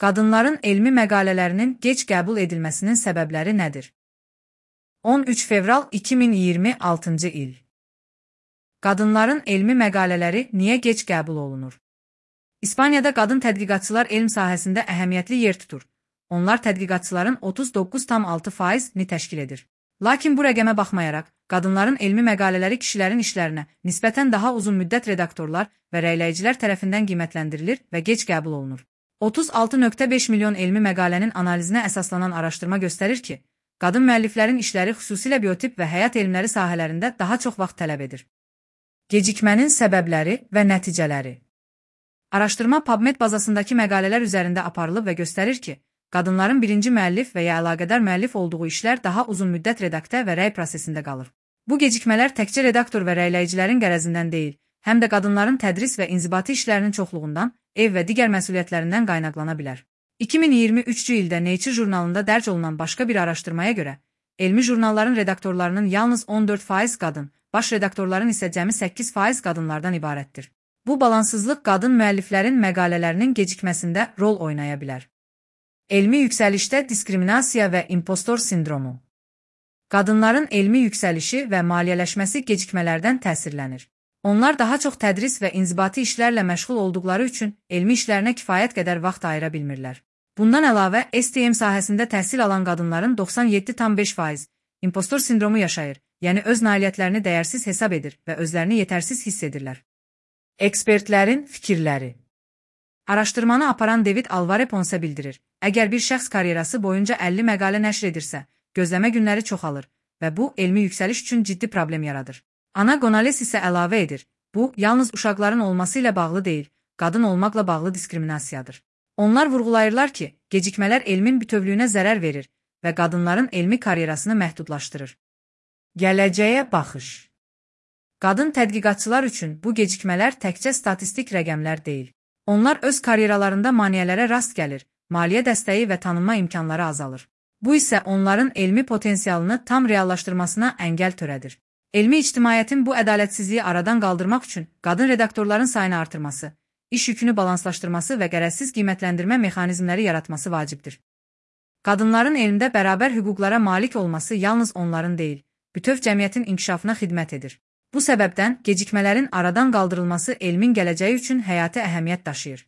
Qadınların elmi məqalələrinin gec qəbul edilməsinin səbəbləri nədir? 13 fevral 2026-cı il. Qadınların elmi məqalələri niyə gec qəbul olunur? İspaniyada qadın tədqiqatçılar elm sahəsində əhəmiyyətli yer tutur. Onlar tədqiqatçıların 39,6%-ni təşkil edir. Lakin bu rəqəmə baxmayaraq, qadınların elmi məqalələri kişilərin işlərinə nisbətən daha uzun müddət redaktorlar və rəyləyicilər tərəfindən qiymətləndirilir və gec qəbul olunur. 36,5 milyon elmi məqalənin analizinə əsaslanan araşdırma göstərir ki, qadın müəlliflərin işləri xüsusilə biotip və həyat elmləri sahələrində daha çox vaxt tələb edir. Gecikmənin səbəbləri və nəticələri. Araşdırma PubMed bazasındakı məqalələr üzərində aparılıb və göstərir ki, qadınların birinci müəllif və ya əlaqədar müəllif olduğu işlər daha uzun müddət redaktə və rəy prosesində qalır. Bu gecikmələr təkcə redaktor və rəyləyicilərin qərəzindən deyil, həm də qadınların tədris və inzibati işlərinin çoxluğundan, ev və digər məsuliyyətlərindən qaynaqlana bilər. 2023-cü ildə Nature jurnalında dərc olunan başqa bir araşdırmaya görə, elmi jurnalların redaktorlarının yalnız 14% qadın, baş redaktorların isə cəmi 8% qadınlardan ibarətdir. Bu balansızlıq qadın müəlliflərin məqalələrinin gecikməsində rol oynaya bilər. Elmi yüksəlişdə diskriminasiya və impostor sindromu. Qadınların elmi yüksəlişi və maliyyələşməsi gecikmələrdən təsirlənir. Onlar daha çox tədris və inzibati işlərlə məşğul olduqları üçün elmi işlərinə kifayət qədər vaxt ayıra bilmirlər. Bundan əlavə, STM sahəsində təhsil alan qadınların 97,5% impostor sindromu yaşayır, yəni öz nailiyyətlərini dəyərsiz hesab edir və özlərini yetərsiz hiss edirlər. Ekspertlərin fikirləri. Araşdırmanı aparan David Alvarez Ponce bildirir, əgər bir şəxs karyerası boyunca 50 məqalə nəşr edirsə, gözləmə günləri çoxalır və bu, elmi yüksəliş üçün ciddi problem yaradır. Ana Gonales isə əlavə edir, bu, yalnız uşaqların olması ilə bağlı deyil, qadın olmaqla bağlı diskriminasiyadır. Onlar vurğulayırlar ki, gecikmələr elmin bütövlüyünə zərər verir və qadınların elmi karyerasını məhdudlaşdırır. Gələcəyə baxış. Qadın tədqiqatçılar üçün bu gecikmələr təkcə statistik rəqəmlər deyil. Onlar öz karyeralarında maneələrə rast gəlir, maliyyə dəstəyi və tanınma imkanları azalır. Bu isə onların elmi potensialını tam reallaşdırmasına əngəl törədir. Elmi ictimaiyyətin bu ədalətsizliyi aradan qaldırmaq üçün qadın redaktorların sayını artırması, iş yükünü balanslaşdırması və qərəzsiz qiymətləndirmə mexanizmləri yaratması vacibdir. Qadınların elmdə bərabər hüquqlara malik olması yalnız onların deyil, bütöv cəmiyyətin inkişafına xidmət edir. Bu səbəbdən gecikmələrin aradan qaldırılması elmin gələcəyi üçün həyati əhəmiyyət daşıyır.